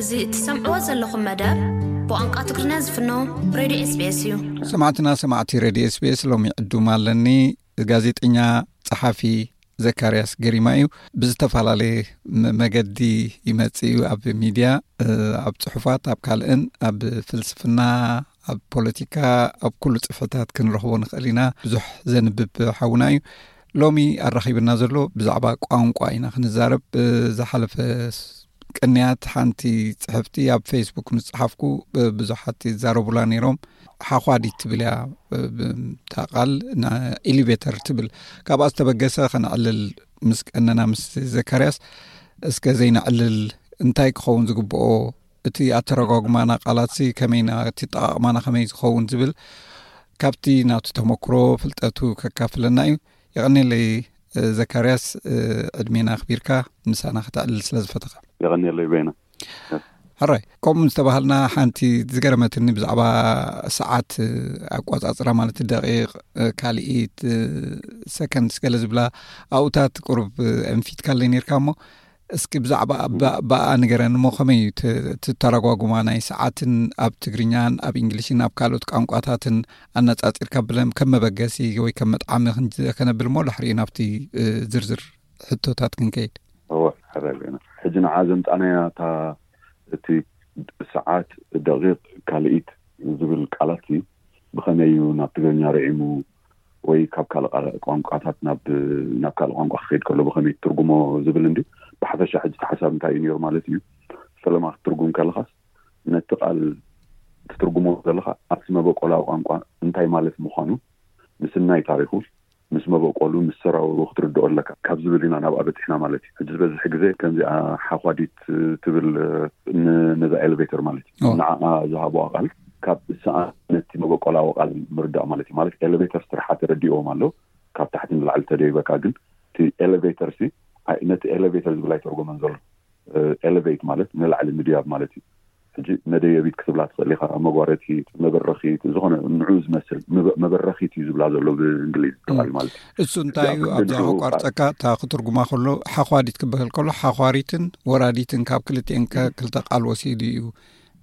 እዚ እትሰምዕዎ ዘለኹም መደብ ብቋንቋ ትግርኛ ዝፍኖ ሬድዮ ኤስቢኤስ እዩ። ሰማዕትና ሰማዕቲ ሬድዮ ኤስቢኤስ፣ ሎሚ ዕዱም ኣለኒ። ጋዜጠኛ፣ ጸሓፊ ዘካርያስ ገሪማ እዩ። ብዝተፈላለየ መ-፣ መገዲ ይመጽእ እዩ። ኣብ ሚድያ፣ እ፣ ኣብ ጽሑፋት፣ ኣብ ካልእን፣ ኣብ ፍልስፍና፣ ኣብ ፖለቲካ፣ ኣብ ኩሉ ጽፍሕታት ክንረኽቦ ንኽእል ኢና። ብዙሕ ዘንብብ ሓውና እዩ። ሎሚ ኣራኺብና ዘሎ ብዛዕባ ቋንቋ ኢና ክንዛረብ። እ፣ ዝሓለፈ ስ-፣ ቅንያት ሓንቲ ጽሕፍቲ ኣብ ፌስቡክ ምስ ጸሓፍኩ፣ ብ-፣ ብዙሓት ይዛረቡላ ነይሮም። ሓዃዲት ትብል እያ፣ ብ-፣ ብ-፣ እታ ቃል ና-፣ ኤሊቬተር ትብል። ካብኣ ዝተበገሰ ከነዕልል ምስ ቀነና ምስ ዘካርያስ፣ እስከ ዘይነዕልል እንታይ ክኸውን ዝግብኦ፣ እቲ ኣተረጓጉማና ቃላትሲ ከመይና፣ እቲ ኣጠቓቕማና ከመይ ዝኸውን ዝብል ካብቲ ናቱ ተመክሮ ፍልጠቱ ከካፍለና እዩ። የቐኔለይ፣ እ፣ ዘካርያስ፣ እ፣ ዕድሜና ኣኽቢርካ ምሳና ከተዕልል ስለ ዝፈተኻ። የቐኔለይ በይነ። ሕራይ፣ ከምኡ ዝተባሃልና ሓንቲ ዝገረመትኒ ብዛዕባ ሰዓት፣ እ፣ ኣቋጻጽራ ማለት ደቂቕ፣ እ፣ ካልኢት፣ እ፣ ሰከንድስ ገለ ዝብላ ኣብኡታት ቁሩብ፣ እ፣ ኣንፊትካለይ ነይርካ እሞ እስኪ ብዛዕባ ብ-፣ ብኣ ንገረኒ እሞ ከመይ እዩ ት-፣ ትተረጓጉማ ናይ ሰዓትን ኣብ ትግርኛን ኣብ እንግሊሽን ኣብ ካልኦት ቋንቋታትን ኣነጻጺርካ ብለም-፣ ከም መበገሲ ወይ ከም መጥዓሚ ክንጅ-፣ ከነብል እሞ ድሕሪኡ ናብቲ፣ እ፣ ዝርዝር ሕቶታት ክንከይድ። እወ፣ ሕራይ በይነ። ሕጂ ንዓ ዘምጻናያ እታ እቲ ሰዓት፣ ደቂቕ፣ ካልኢት ዝብል ቃላት እዩ። ብኸመይ እዩ ናብ ትግርኛ ርዒሙ ወይ ካብ ካልእ ቃል-፣ ቋንቋታት ናብ፣ ናብ ካልእ ቋንቋ ክኸይድ ከሎ ብኸመይ ትርጉሞ ዝብል እንዲ። ብሓፈሻ ሕጂ እቲ ሓሳብ እንታይ እዩ ነይሩ ማለት እዩ። ፈለማ ክትትርጉም ከለኻስ ነቲ ቃል ትትርጉሞ ዘለኻ ኣብ ስመ በቆላዊ ቋንቋ እንታይ ማለት ምዃኑ፣ ምስናይ ታሪኹ፣ ምስ መበቆሉ፣ ምስ ሰራውሩ ክትርድኦ ኣለካ ካብ ዝብል ኢና ናብኣ በጺሕና ማለት እዩ። ሕጂ ዝበዝሕ ግዜ ከምዚኣ ሓኳዲት ትብል ን-፣ ነዛ ኤሌቬተር ማለት እዩ። ኦ። ንዓኣ ዝሃብዋ ቃል ካብ ሰኣን ነቲ መበቆላዊ ቃል ምርዳእ ማለት እዩ። ማለት ኤሌቬተር ስርሓ ተረዲእዎም ኣሎ፣ ካብ ታሕቲ ንላዕሊ ተደይበካ፣ ግን እቲ ኤሌቬተር ሲ ኣይ-፣ ነቲ ኤሌቬተር ዝብል ኣይተርጎመን ዘሎ። እ፣ ኤሌቬት ማለት ንላዕሊ ምድያብ ማለት እዩ። ሕጂ መደየቢት ክትብላ ትኽእል ኢኻ፣ መጓረቲት፣ መበረኺት፣ ዝኾነ ንዑ ዝመስል መበ-፣ መበረኺት እዩ ዝብላ ዘሎ ብእንግሊዝ ትባል ማለት እዩ። እሱ እንታይ እዩ? ኣብዛ ከቋርጸካ፣ እታ ክትርጉማ ከሎ ሓኳዲት ክበሃል ከሎ ሓኳሪትን ወራዲትን ካብ ክልቲኤን ከ-፣ ክልተ ቃል ወሲዱ እዩ፣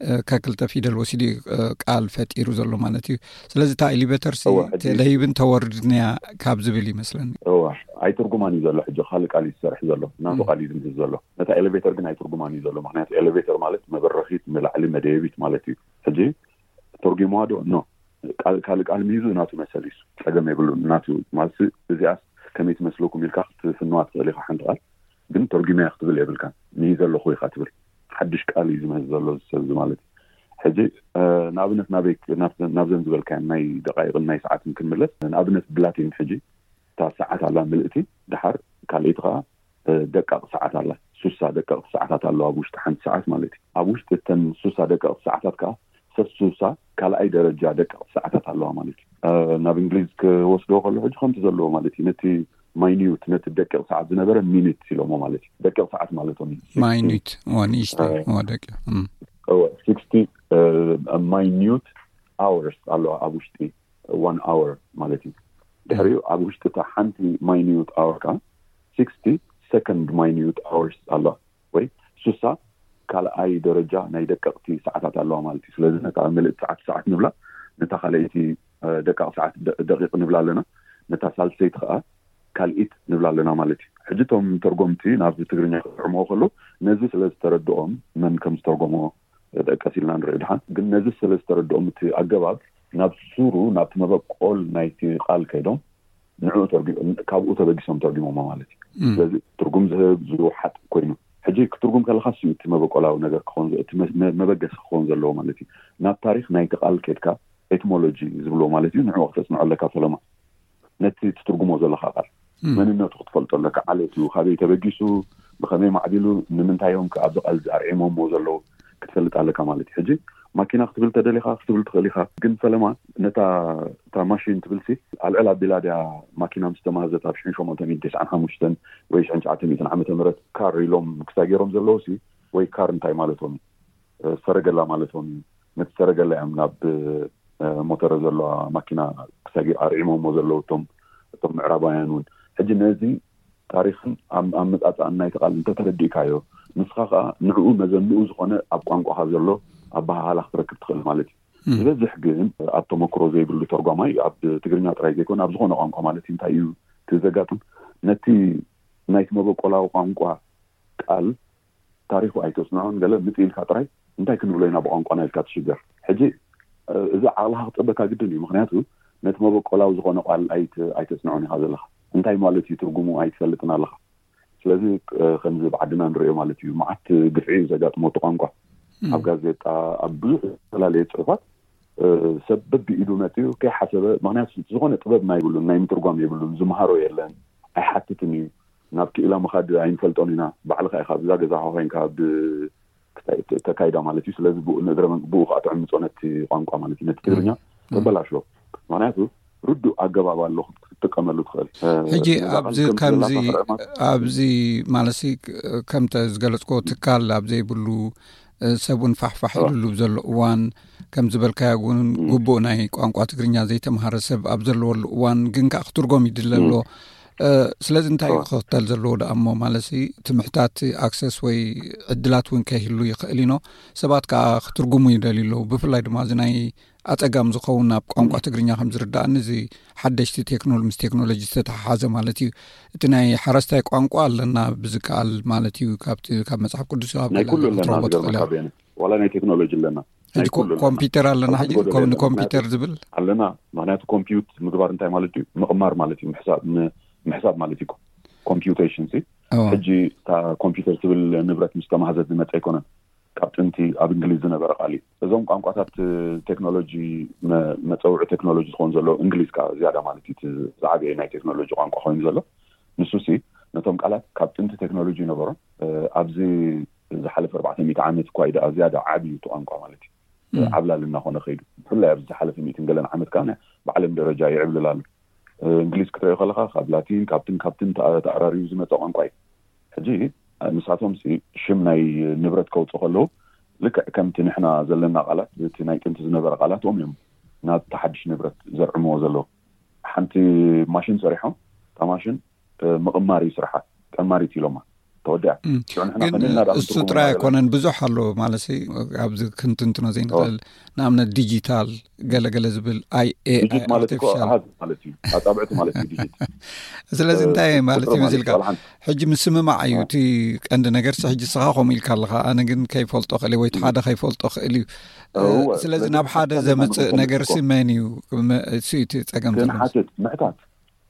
እ፣ ከክልተ ፊደል ወሲዱ እዩ፣ እ፣ ቃል ፈጢሩ ዘሎ ማለት እዩ። ስለዚ እታ ኤሊቬተር ሲ እወ፣ ሕጂ ተደይብን ተወርድን እያ ካብ ዝብል ይመስለኒ። እወ፣ ኣይትርጉማን እዩ ዘሎ። ሕጂ ካልእ ቃል እዩ ዝሰርሕ ዘሎ፣ ናቱ ም። ቃል እዩ ዝምህዝ ዘሎ። ነታ ኤሌቬተር ግን ኣይትርጉማን እዩ ዘሎ። ምኽንያቱ ኤሌቬተር ማለት መበረኺት፣ ንላዕሊ መደየቢት ማለት እዩ። ሕጂ ተርጉምዋ ዶ? ኖ። ቃል፣ ካልእ ቃል ምሂዙ ናቱ መሰል እዩ። ጸገም የብሉን። ናቱ ማለት እዚኣስ ከመይ ትመስለኩም ኢልካ ክትፍንዋ ትኽእል ኢኻ ሓንቲ ቃል። ግን ተርጉመያ ክትብል የብልካን። ምሂዘ ኣለኹ ኢኻ ትብል። ሓድሽ ቃል እዩ ዝምህዝ ዘሎ እዚ ሰብ እዚ ማለት እዩ። ሕጂ፣ እ፣ ንኣብነት ናበይ፣ ናብ፣ ናብዘን ዝበልካየን ናይ ደቃይቕን ናይ ሰዓትን ክንምለስ፣ ንኣብነት ብላቲን ሕጂ እታ ሰዓት ኣላ ምልእቲ፣ ድሓር ካልኣይቲ ከኣ፣ እ፣ ደቃቕ ሰዓት ኣላ። ሱሳ ደቀቕቲ ሰዓታት ኣለዋ ኣብ ውሽጢ ሓንቲ ሰዓት ማለት እዩ። ኣብ ውሽጢ እተን ሱሳ ደቀቕቲ ሰዓታት ከኣ ሰሱሳ ካልኣይ ደረጃ ደቀቕቲ ሰዓታት ኣለዋ ማለት እዩ። እ፣ ናብ እንግሊዝ ክወስዶ ከሎ ሕጂ ከምቲ ዘለዎ ማለት እዩ። ነቲ ማይኒዩት፣ ነቲ ደቂቕ ሰዓት ዝነበረ ሚኒት ኢሎሞ ማለት እዩ። ደቂቕ ሰዓት ማለቶም እዩ። ማይኒት፣ እዋ፣ ንእሽተይ፣ እ፣ እዋ፣ ደቂቕ፣ እም። እወ፣ ሲክስቲ፣ እ፣ ማይኒዩት ኣወርስ ኣለዋ ኣብ ውሽጢ ዋን ኣወር ማለት እዩ። ድሕሪኡ ኣብ ውሽጢ እታ ሓንቲ ማይኒዩት ኣወር ከኣ ሲክስቲ ሰከንድ ማይኒዩት ኣወርስ ኣለዋ፣ ወይ ሱሳ ካልኣይ ደረጃ ናይ ደቀቕቲ ሰዓታት ኣለዋ ማለት እዩ። ስለዚ ነታ ምልእቲ ሰዓት ሰዓት ንብላ፣ ነታ ካልኣይቲ፣ እ፣ ደቃቕ ሰዓት ደ-፣ ደቂቕ ንብላ ኣለና፣ ነታ ሳልሰይቲ ከኣ ካልኢት ንብላ ኣለና ማለት እዩ። ሕጂ እቶም ተርጎምቲ ናብ ትግርኛ ክጥዕምዎ ከለዉ ነዚ ስለ ዝተረድኦም መን ከም ዝተርጎሞ ጠቀስ ኢልና ንርኢ ድሓን። ግን ነዚ ስለ ዝተረድኦም እቲ ኣገባብ ናብ ሱሩ፣ ናብቲ መበቆል ናይቲ ቃል ከይዶም ንዕኡ ተርጉ-፣ ካብኡ ተበጊሶም ተርጉሞሞ ማለት እዩ። እም። ስለዚ ትርጉም ዝህብ ዝወሓጥ ኮይኑ፣ ሕጂ ክትርጉም ከለኻ ሲ እቲ መበቆላዊ ነገር ክኸውን ዘ-፣ እቲ መ-፣ መ-፣ መበገሲ ክኸውን ዘለዎ ማለት እዩ። ናብ ታሪኽ ናይቲ ቃል ከድካ ኤቲሞሎጂ ዝብልዎ ማለት እዩ፣ ንዕኡ ክተጽንዖ ኣለካ ፈለማ። ነቲ ትትርጉሞ ዘለኻ ቃል እም። መንነቱ ክትፈልጦ ኣለካ። ዓሌቱ ካበይ ተበጊሱ፣ ብኸመይ ማዕቢሉ፣ ንምንታይ እዮም ከ ኣብዚ ቃል እዚ ኣርዒሞሞ ዘለዉ ክትፈልጥ ኣለካ ማለት እዩ። ሕጂ ማኪና ክትብል ተደሊኻ ክትብል ትኽእል ኢኻ፣ ግን ፈለማ ነታ፣ እታ ማሽን ትብል ሲ ኣልዕል ኣቢላ ድያ ማኪና ምስ ተማህዘት ኣብ ሽሕን ሸሞንተ ሚእትን ተስዓን ሓሙሽተን ወይ ሽሕን ትሽዓተ ሚእትን ዓመተ ምህረት ካር ኢሎም ክሳብ ገይሮም ዘለዉ ሲ ወይ ካር እንታይ ማለቶም እዩ? እ፣ ሰረገላ ማለቶም እዩ። ነቲ ሰረገላ እዮም ናብ፣ እ፣ ሞተረ ዘለዋ ማኪና ክሳብ ኣርዒሞሞ ዘለዉ እቶም፣ እቶም ምዕራባውያን እውን። ሕጂ ነዚ ታሪኽን ኣመፃፅኣን ናይቲ ቃል እንተተረዲእካዮ፣ ንስኻ ከዓ ንዕኡ መዘንኡ ዝኾነ ኣብ ቋንቋኻ ዘሎ ኣበሃህላ ክትረክብ ትኽእል ማለት እዩ። ዝበዝሕ ግን ኣብ ተመክሮ ዘይብሉ ተርጓማይ፣ ኣብ ትግርኛ ጥራይ ዘይኮነ ኣብ ዝኾነ ቋንቋ ማለት እዩ፣ እንታይ እዩ እቲ ዘጋጥም? ነቲ ናይቲ መበቆላዊ ቋንቋ ቃል ታሪኹ ኣይተጽንዖን፣ ገለ ምጽእ ኢልካ ጥራይ እንታይ ክንብሎ ኢና ብቋንቋና ኢልካ ትሽገር። ሕጂ እዚ ዓቕልኻ ክጸበካ ግድን እዩ። ምኽንያቱ ነቲ መበቆላዊ ዝኾነ ቃል ኣይተጽንዖን ኢኻ ዘለኻ። እንታይ ማለት እዩ ትርጉሙ ኣይትፈልጥን ኣለኻ። ስለዚ ከምዚ ብዓድና ንሪኦ ማለት እዩ፣ መዓት ግፍዒ እዩ ዘጋጥሞ እቲ ቋንቋ። ኣብ ጋዜጣ፣ ኣብ ብዙሕ ዝተፈላለየ ጽሑፋት ሰብ በብኢዱ መፅኡ ከይሓሰበ፣ ምክንያቱ ዝኾነ ጥበብ ናይ ብሉን ናይ ምትርጓም የብሉን፣ ዝመሃሮ የለን፣ ኣይሓትትን እዩ። ናብ ክኢላ ምኻድ ኣይንፈልጦን ኢና። ባዕልኻ ኢኻ ኣብዛ ገዛኻ ኮይንካ ብ ተካይዳ ማለት እዩ። ስለዚ ብኡ ንእግረ መን- ብኡ ከዓ ትዕምፆ ነቲ ቋንቋ ማለት እዩ፣ ነቲ ትግርኛ ተበላሽዎ። ምክንያቱ ርዱእ ኣገባብ ኣሎ ክትጥቀመሉ ትኽእል። ሕጂ ኣብዚ ከምዚ ኣብዚ ማለት ከምተ ዝገለፅኮ ትካል ኣብ ዘይብሉ ሰብ እውን ፋሕፋሕ ኢሉሉ ዘሎ እዋን ከም ዝበልካዮ እውን ግቡእ ናይ ቋንቋ ትግርኛ ዘይተምሃረ ሰብ ኣብ ዘለወሉ እዋን ግን ከዓ ክትርጎም ይድለ ኣሎ። ስለዚ እንታይ እዩ ክኽተል ዘለዎ ደኣ እሞ ማለት እቲ ምሕታት ኣክሰስ ወይ ዕድላት እውን ከይህሉ ይኽእል ኢኖ ሰባት ከዓ ክትርጉሙ ይደልዩ ኣለዉ። ብፍላይ ድማ እዚ ናይ ኣፀጋም ዝኸውን ኣብ ቋንቋ ትግርኛ ከም ዝርዳእኒ እዚ ሓደሽቲ ቴክኖሎ ምስ ቴክኖሎጂ ዝተተሓሓዘ ማለት እዩ። እቲ ናይ ሓረስታይ ቋንቋ ኣለና ብዝከኣል ማለት እዩ። ካብቲ ካብ መፅሓፍ ቅዱስ ኣብ ናይ ገለ ኩሉ ገለ ኣለና ክትረኽቦ ትኽእል ዝገርመካ ኢኻ። በየነ፣ ዋላ ናይ ቴክኖሎጂ ኣለና። ሕጂ ናይ ኮ- ኩሉ ኣለና። ኮምፒውተር ኣለና። ሕጂ ጎደሎ ኮ- የለን። ንኮምፒውተር ምክንያቱ ዝብል ኣለና። ምክንያቱ ኮምፒውት ምግባር እንታይ ማለት እዩ? ምቕማር ማለት እዩ። ምሕሳብ ም- ምሕሳብ ማለት እዩ። ኮምፒውቴሽን ሲ እዎ። ሕጂ እታ ኮምፒውተር ትብል ንብረት ምስ ተማህዘት ዝመፀ ኣይኮነን። ካብ ጥንቲ ኣብ እንግሊዝ ዝነበረ ቃል እዩ። እዞም ቋንቋታት ቴክኖሎጂ መ- መፀውዒ ቴክኖሎጂ ዝኸውን ዘሎ እንግሊዝ ከዓ ዝያዳ ማለት እዩ። እቲ ዝዓበየ ናይ ቴክኖሎጂ ቋንቋ ኮይኑ ዘሎ ንሱ ሲ ነቶም ቃላት ካብ ጥንቲ ቴክኖሎጂ ይነበሮም ኣብዚ ዝሓለፈ ኣርባዕተ ሚእቲ ዓመት እኳ እዩ ደኣ ዝያዳ ዓብዩ እቲ ቋንቋ ማለት እዩ። ዓብላል እናኾነ ከይዱ ብፍላይ ኣብዚ ዝሓለፈ ሚእትን ገለን ዓመት ከዓ ብዓለም ደረጃ ይዕብልል ኣሎ። እንግሊዝ ክትሪኦ ከለካ ካብ ላቲን ካብትን ካብትን ተኣ- ተኣራሪቡ ዝመፀ ቋንቋ እዩ። ሕጂ ንሳቶም ሲ ሽም ናይ ንብረት ከውፅኡ ከለዉ ልክዕ ከምቲ ንሕና ዘለና ቃላት እቲ ናይ ጥንቲ ዝነበረ ቃላትኦም እዮም ናብ ተሓድሽ ንብረት ዘርዕምዎ ዘለዉ። ሓንቲ ማሽን ሰሪሖም እታ ማሽን ምቕማር እዩ ስርሓ፣ ቀማሪት ኢሎማ ተወዲኣ። ሽዑ ንሕና ግን ከመይ እናዳ እሱ ክንትርጉም ጥራይ ኢና ዘለና? ኣይኮነን፣ ብዙሕ ኣሎ ማለት ኣብዚ ክንትንትኖ ዘይንኽእል። ንኣብነት ዲጂታል ገለገለ ዝብል ኣይ ኤ ኣይ ዲጂት ማለት እኮ ኣርቲፊሻል። ኣሃዝ ማለት እዩ፣ ኣጻብዕቲ ማለት እዩ ዲጂት። ስለዚ እንታይ ማለት እዩ ቁጽሪ ማለት መሲልካ? እዩ። ዋላ ሓንቲ። ሕጂ ምስምማዕ እዩ እቲ ቀንዲ ነገር። ሕጂ ስኻ ከምኡ ኢልካ ኣለኻ፣ ኣነ ግን ከይፈልጦ ክእል ወይ እቲ ሓደ ከይፈልጦ ክእል እዩ። እወ፣ ስለዚ ስለዚ ናብ ሓደ ሓሳብ ዘምፅእ ማለት ነገር እኮ ሲ መን እዩ? መ- እሱ እዩ እቲ ፀገም ዘሎ። ክንሓትት ምሕታት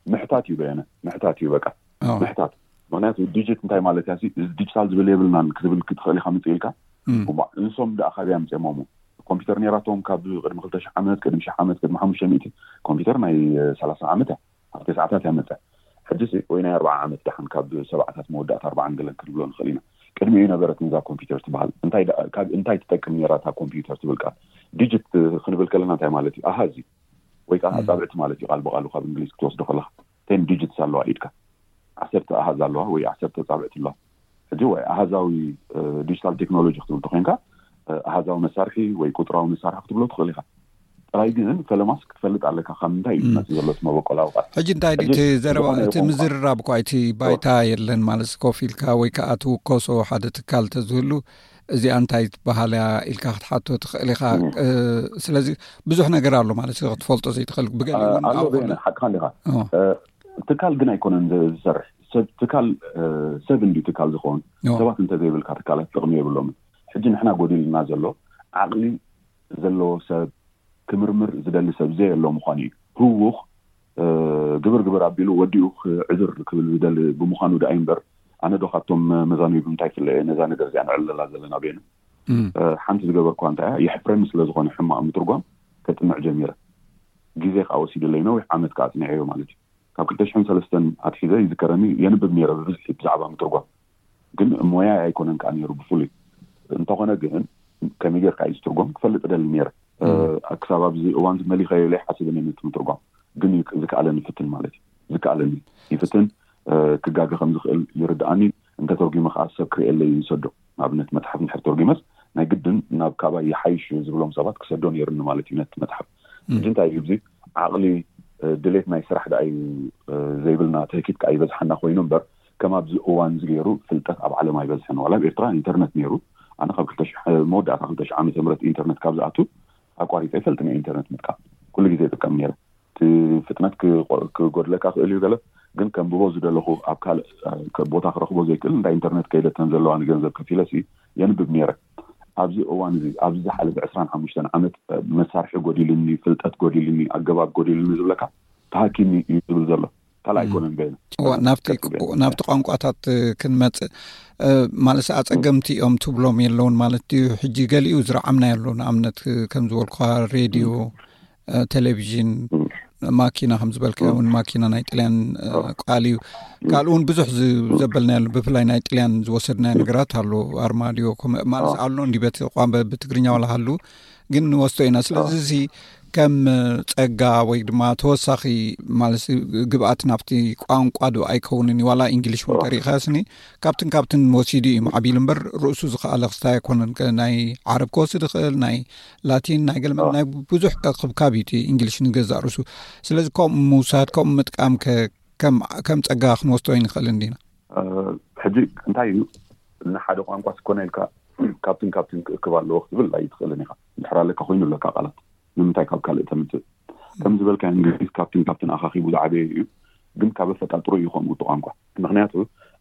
ምሕታት እዩ በየነ፣ ምሕታት እዩ በቃ። ምሕታት። ምክንያቱ ዲጂት እንታይ ማለት እያ ሲ፣ እዚ ዲጂታል ዝብል የብልናን ክትብል ክትኽእል ኢካ ምፅእ ኢልካ። እሞ እንሶም ደኣ ካበይ ኣምፅኦሞ? ኮምፒውተር ነይራቶም ካብ ቅድሚ ክልተ ሽሕ ዓመት፣ ቅድሚ ሽሕ ዓመት፣ ቅድሚ ሓሙሽተ ሚእቲ። ኮምፒውተር ናይ ሰላሳ ዓመት እያ፣ ኣብ ተስዓታት እያ መፅያ። ሕጂ ሲ ወይ ናይ ኣርባዓ ዓመት ደሓን፣ ካብ ሰብዓታት መወዳእታ ኣርባዓን ገለን ክንብሎ ንኽእል ኢና። ቅድሚኡ ነበረት ነዛ ኮምፒውተር ትበሃል። እንታይ ደኣ- ካብ እንታይ ትጠቅም ነይራ እታ ኮምፒውተር ትብል ቃል? ዲጂት ክንብል ከለና እንታይ ማለት እዩ? ኣሃዝ እዩ። ወይ ከዓ ኣጻብዕቲ ማለት እዩ። ቃል ብቃሉ ካብ እንግሊዝ ክትወስዶ ከለካ ቴን ዲጂትስ ኣለዋ ኢድካ፣ ዓሰርተ ኣሃዝ ኣለዋ ወይ ዓሰርተ ኣጻብዕቲ ኣለዋ። ሕጂ ወይ ኣሃዛዊ ዲጂታል ቴክኖሎጂ ክትብል ተኮይንካ ኣሃዛዊ መሳርሒ ወይ ቁጥራዊ መሳርሒ ክትብሎ ትኽእል ኢካ። ጥራይ ግን ፈለማስ ክትፈልጥ ኣለካ ካብ ምንታይ እዩ ዝመፅእ ዘሎ እቲ መበቆላዊ ቃል። ሕጂ እንታይ ድዩ እቲ ዘረባ እቲ ምዝርራብ እኳ እቲ ባይታ የለን ማለት ኮፍ ኢልካ ወይ ከዓ ትውከሶ ሓደ ትካል ተዝህሉ እዚኣ እንታይ ትበሃል እያ ኢልካ ክትሓቶ ትኽእል ኢኻ። ስለዚ ብዙሕ ነገር ኣሎ ማለት ክትፈልጦ ዘይትኽእል ብገሊኡ እውን ኣሎ ኣብኡ በየነ ሓቅኻ እንዲኻ። ትካል ግን ኣይኮነን ዝሰርሕ ሰብ ትካል ሰብ እንዲ ትካል ዝኸውን ሰባት እንተዘይብልካ ትካላት ጥቕሚ የብሎምን። ሕጂ ንሕና ጎዲልና ዘሎ ዓቕሊ ዘለዎ ሰብ ክምርምር ዝደሊ ሰብ ዘየሎ ምዃኑ እዩ። ህውኽ ግብር ግብር ኣቢሉ ወዲኡ ክዕዝር ክብል ዝደሊ ብምዃኑ ደኣ እምበር ኣነ ዶ ካብቶም መዛኑይ ብምንታይ ፍለ እየ ነዛ ነገር እዚኣ ንዕልለላ ዘለና ቤኑ። ሓንቲ ዝገበርኳ እንታይ እያ የሕፍረኒ ስለ ዝኾነ ሕማቕ ምትርጓም ከጥንዕ ጀሚረ። ግዜ ከዓ ወሲድለይ ነዊሕ ዓመት ከዓ ኣፅኒዐዮ ማለት እዩ። ካብ ክልተ ሽሕን ሰለስተን ኣትሒዘ ይዝከረኒ የንብብ ነይረ ብብዝሒ ብዛዕባ ምትርጓም። ግን ሞያይ ኣይኮነን ከዓ ነይሩ ብፍሉይ። እንተኾነ ግን ከመይ ጌርካ እዩ ዝትርጎም ክፈልጥ እደሊ ነይረ። ክሳብ ኣብዚ እዋን ዝመሊኸዮ ኢለ ይሓስብን እየ ነቲ ምትርጓም። ግን ዝከኣለኒ ይፍትን ማለት እዩ። ዝከኣለኒ ይፍትን። ክጋገ ከም ዝኽእል ይርድኣኒ። እንተተርጒመ ከዓ ሰብ ክርእየለይ ይሰዶ። ንኣብነት መፅሓፍ እንድሕር ተርጒመስ ናይ ግድን ናብ ካባይ ይሓይሽ እዩ ዝብሎም ሰባት ክሰዶ ነይርኒ ማለት እዩ ነቲ መፅሓፍ። ሕጂ እንታይ እዩ እዚ ዓቕሊ ድሌት ናይ ስራሕ ደኣ እዩ ዘይብልና ትህኪት ከዓ ይበዝሓና ኮይኑ እምበር ከም ኣብዚ እዋን እዚ ገይሩ ፍልጠት ኣብ ዓለም ኣይበዝሕን። ዋላ ኣብ ኤርትራ ኢንተርነት ነይሩ። ኣነ ካብ ክልተ ሽሕ፣ መወዳእታ ክልተ ሽሕ ዓመተ ምህረት ኢንተርነት ካብ ዝኣቱ ኣቋሪፀ ይፈልጥ ናይ ኢንተርነት ምጥቃም። ኩሉ ግዜ ይጥቀም ነይረ። እቲ ፍጥነት ክጎድለካ ክእል እዩ ገለ፣ ግን ከንብቦ ዝደለኹ ኣብ ካልእ ቦታ ክረኽቦ ዘይክእል እንዳ ኢንተርነት ከይደተን ዘለዋ ንገንዘብ ከፊለሲ የንብብ ነይረ። ኣብዚ እዋን እዚ ኣብዚ ዝሓለፈ ዕስራን ሓሙሽተን ዓመት መሳርሒ ጎዲልኒ፣ ፍልጠት ጎዲልኒ፣ ኣገባብ ጎዲልኒ ዝብለካ ተሃኪኒ እዩ ዝብል ዘሎ። ካልእ ኣይኮነን በይኑ። ናብቲ ቋንቋታት ክንመጽእ፣ ማለት ኣጸገምቲ እዮም ትብሎም የለውን ማለት እዩ። ሕጂ ገሊኡ ዝረዓምና ያሉ ንኣብነት ከም ዝበልኳ ሬድዮ፣ ቴሌቪዥን፣ ማኪና ከም ዝበልካ እውን ማኪና ናይ ጥልያን ቃል እዩ። ካልኡ እውን ብዙሕ ዘበልና ያሉ ብፍላይ ናይ ጥልያን ዝወሰድናዮ ነገራት ኣሎ። ኣርማድዮ ማለት ኣሎ እንዲ በቲ ቋንቋ ብትግርኛ ዋላ ሃሉ ግን ንወስዶ ኢና። ስለዚ እዚ ከም ጸጋ ወይ ድማ ተወሳኺ ማለት ግብኣት ናብቲ ቋንቋ ዶ ኣይከውንን እዩ? ዋላ እንግሊሽ እውን ተሪእኻስኒ ካብትን ካብትን ወሲዱ እዩ ማዕቢሉ እምበር ርእሱ ዝኸኣለ ክስታይ ኣይኮነን። ናይ ዓረብ ክወስድ ይኽእል፣ ናይ ላቲን፣ ናይ ገለመ ናይ ብዙሕ ክብካብ እዩ። እንግሊሽ ንገዛእ ርእሱ። ስለዚ ከምኡ ምውሳድ ከምኡ ምጥቃም ከም ጸጋ ክንወስዶ ይንኽእል እንዲና። ሕጂ እንታይ እዩ ንሓደ ቋንቋ ስኮነ ኢልካ ካብትን ካብትን ክእክብ ኣለዎ ክትብል ኣይትኽእልን ኢኻ። እንድሕር ኣለካ ኮይኑ ኣለካ ቃላት ንምንታይ ካብ ካልእ ተምፅእ? ከም ዝበልካ እንግሊዝ ካብትን ካብትን ኣኻኺቡ ዝዓበየ እዩ፣ ግን ካብ ኣፈጣጥሩ እዩ ከምኡ እቲ ቋንቋ። ምክንያቱ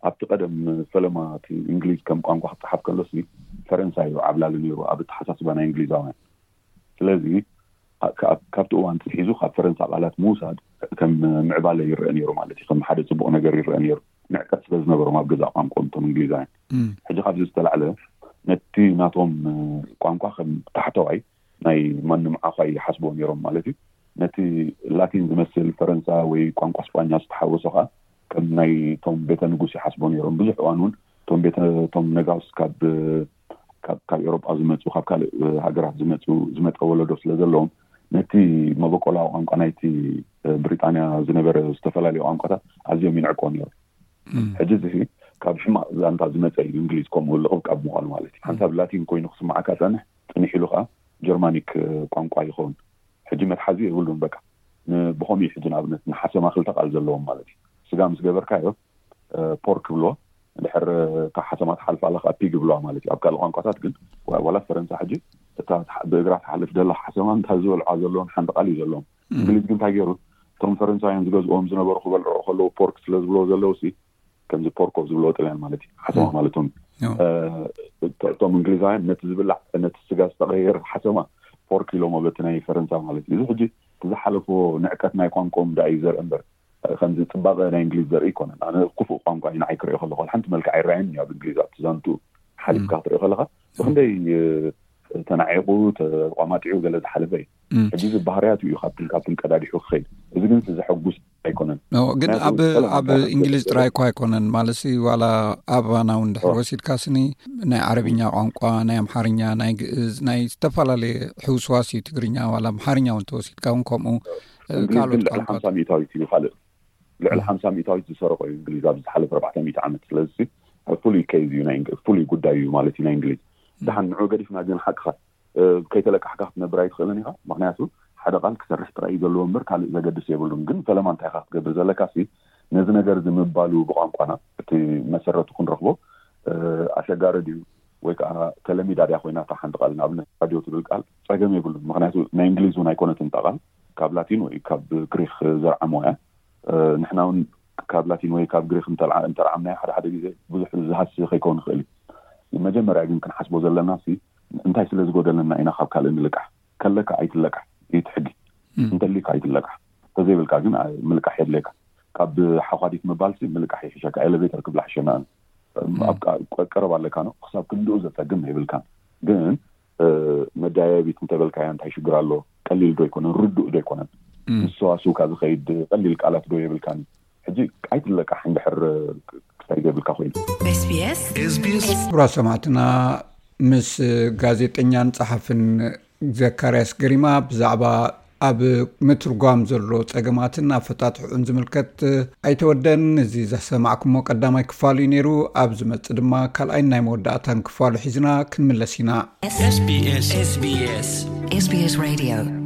ኣብቲ ቀደም ፈለማ እቲ እንግሊዝ ከም ቋንቋ ክፀሓፍ ከሎሲ ፈረንሳ እዩ ዓብላሊ ነይሩ ኣብ ኣተሓሳስባ ናይ እንግሊዛውያን። ስለዚ ካብቲ እዋን ሒዙ ካብ ፈረንሳ ቃላት ምውሳድ ከም ምዕባለ ይረአ ነይሩ ማለት እዩ። ከም ሓደ ፅቡቕ ነገር ይረአ ነይሩ። ንዕቀት ስለ ዝነበሮም ኣብ ገዛእ ቋንቋኦም እቶም እንግሊዛውያን። ሕጂ ካብዚ ዝተላዕለ ነቲ ናቶም ቋንቋ ከም ታሕተዋይ ናይ ማንም ዓዃይ ይሓስብዎ ነይሮም ማለት እዩ። ነቲ ላቲን ዝመስል ፈረንሳ ወይ ቋንቋ ስጳኛ ዝተሓወሶ ከዓ ከም ናይ ቶም ቤተ ንጉስ ይሓስብዎ ነይሮም። ብዙሕ እዋን እውን ቶም ቤተ ቶም ነጋውስ ካብ ካብ ኤውሮጳ ዝመፁ ካብ ካልእ ሃገራት ዝመፁ ዝመፀ ወለዶ ስለ ዘለዎም ነቲ መበቆላዊ ቋንቋ ናይቲ ብሪጣንያ ዝነበረ ዝተፈላለዩ ቋንቋታት ኣዝዮም ይንዕቆ ነይሮም። ሕጂ እዚ ካብ ሕማቕ ዛንታ ዝመፀ እዩ። እንግሊዝ ከምኡ ልቕብቃብ ምዃኑ ማለት እዩ። ሓንሳብ ላቲን ኮይኑ ክስማዓካ ፀንሕ፣ ፅንሕ ኢሉ ከዓ ጀርማኒክ ቋንቋ ይኸውን። ሕጂ መትሓዚ የብሉን። በቃ ብኸምኡ እዩ። ሕጂ ንኣብነት ንሓሰማ ክልተ ቃል ዘለዎም ማለት እዩ። ስጋ ምስ ገበርካዮ ፖርክ ብሎ ድሕር ካብ ሓሰማ ትሓልፍ ኣለካ ፒግ ብለዋ ማለት እዩ። ኣብ ካልእ ቋንቋታት ግን ዋላ ፈረንሳ ሕጂ እታ ብእግራ ትሓልፍ ደላ ሓሰማ እንታ ዝበልዓ ዘለዎም ሓንቲ ቃል እዩ ዘለዎም። እንግሊዝ ግን እንታይ ገይሩ እቶም ፈረንሳውያን ዝገዝኦም ዝነበሩ ክበልዑ ከለዉ ፖርክ ስለ ዝብለዎ ዘለዉ ሲ ከምዚ ፖርኮ ዝብለዎ ጥልያን ማለት እዩ ሓሰማ ማለቶም። እቶም እንግሊዛውያን ነቲ ዝብላዕ ነቲ ስጋ ዝተቀየር ሓሰማ ፖርክ ኢሎሞ በቲ ናይ ፈረንሳ ማለት እዩ። እዚ ሕጂ ዝሓለፎ ንዕቀት ናይ ቋንቋኦም ዳ እዩ ዘርኢ እምበር ከምዚ ፅባቐ ናይ እንግሊዝ ዘርኢ ኣይኮነን። ኣነ ክፉእ ቋንቋ እዩ ንዓይ ክሪኦ ከለኹ ሓንቲ መልክዕ ኣይረኣየን እዩ። ኣብ እንግሊዝ ኣብቲ ዛንቱ ሓሊፍካ ክትሪኦ ከለካ ብክንደይ ተናዒቑ ተቋማጢዑ ገለ ዝሓለፈ እዩ። ሕጂ እዚ ባህርያቱ እዩ ካብትን ካብትን ቀዳዲሑ ክኸይድ። እዚ ግን ዘሐጉስ ኣይኮነን። ግን ኣብ ኣብ እንግሊዝ ጥራይ እኳ ኣይኮነን ማለት ዋላ ኣባና እውን ድሕር ወሲድካ ስኒ ናይ ዓረብኛ ቋንቋ ናይ ኣምሓርኛ ናይ ግእዝ ናይ ዝተፈላለየ ሕውስዋስ እዩ ትግርኛ ዋላ ኣምሓርኛ እውን ተወሲድካ እውን ከምኡ። ካልኦት ልዕሊ ሓምሳ ሚእታዊት እዩ ካልእ ልዕሊ ሓምሳ ሚእታዊት ዝሰረቆ እዩ እንግሊዝ ኣብ ዝሓለፈ ኣርባዕተ ሚእቲ ዓመት። ስለዚ ፍሉይ ኬዝ እዩ ናይ ፍሉይ ጉዳይ እዩ ማለት እዩ ናይ እንግሊዝ። ደሓን ንዑ ገዲፍና ግን ሓቅኻ ከይተለቃሕካ ክትነብር ኣይትኽእልን ኢኻ። ምክንያቱ ሓደ ቃል ክሰርሕ ጥራይ እዩ ዘለዎ እምበር ካልእ ዘገድስ የብሉን። ግን ፈለማ እንታይ ኢኻ ክትገብር ዘለካ ሲ ነዚ ነገር እዚ ምባሉ ብቋንቋና እቲ መሰረቱ ክንረኽቦ ኣሸጋሪ ድዩ ወይ ከዓ ተለሚዳ ድያ ኮይና እታ ሓንቲ ቃል ንኣብነት ራድዮ ትብል ቃል ጸገም የብሉን። ምክንያቱ ናይ እንግሊዝ እውን ኣይኮነትን እታ ቃል ካብ ላቲን ወይ ካብ ግሪክ ዘርዓሞ እያ። ንሕና እውን ካብ ላቲን ወይ ካብ ግሪክ እንተርዓምናዮ ሓደ ሓደ ግዜ ብዙሕ ዝሃሲ ከይከውን ይኽእል እዩ። መጀመርያ ግን ክንሓስቦ ዘለና ሲ እንታይ ስለ ዝጎደለና ኢና ካብ ካልእ ንልቃሕ? ከለካ ኣይትለቃሕ እዩ እቲ ሕጊ። እንተሊካ ኣይትለቃሕ። እንተዘይብልካ ግን ምልቃሕ የድልየካ። ካብ ሓኳዲት ምባል ሲ ምልቃሕ ይሕሸካ። ኤሌቬተር ክብላ ሕሸና ኣብ ቀረብ ኣለካ ነው ክሳብ ክንድኡ ዘፀግም የብልካን። ግን መዳየቢት እንተበልካያ እንታይ ሽግር ኣሎ? ቀሊል ዶ ኣይኮነን? ርዱእ ዶ ኣይኮነን? ምስ ሰዋስውካ ዝኸይድ ቀሊል ቃላት ዶ የብልካን? ሕጂ ኣይትለቃሕ እንድሕር ክሳይ ዘይብልካ ኮይኑ። SBS ክቡራት ሰማዕትና ምስ ጋዜጠኛን ጸሓፍን ዘካርያስ ገሪማ ብዛዕባ ኣብ ምትርጓም ዘሎ ጸገማትን ኣፈታትሕኡን ዝምልከት ኣይተወደን። እዚ ዘሰማዕኩሞ ቀዳማይ ክፋሉ እዩ ነይሩ። ኣብ ዝመጽእ ድማ ካልኣይን ናይ መወዳእታን ክፋሉ ሒዝና ክንምለስ ኢና። SBS SBS SBS Radio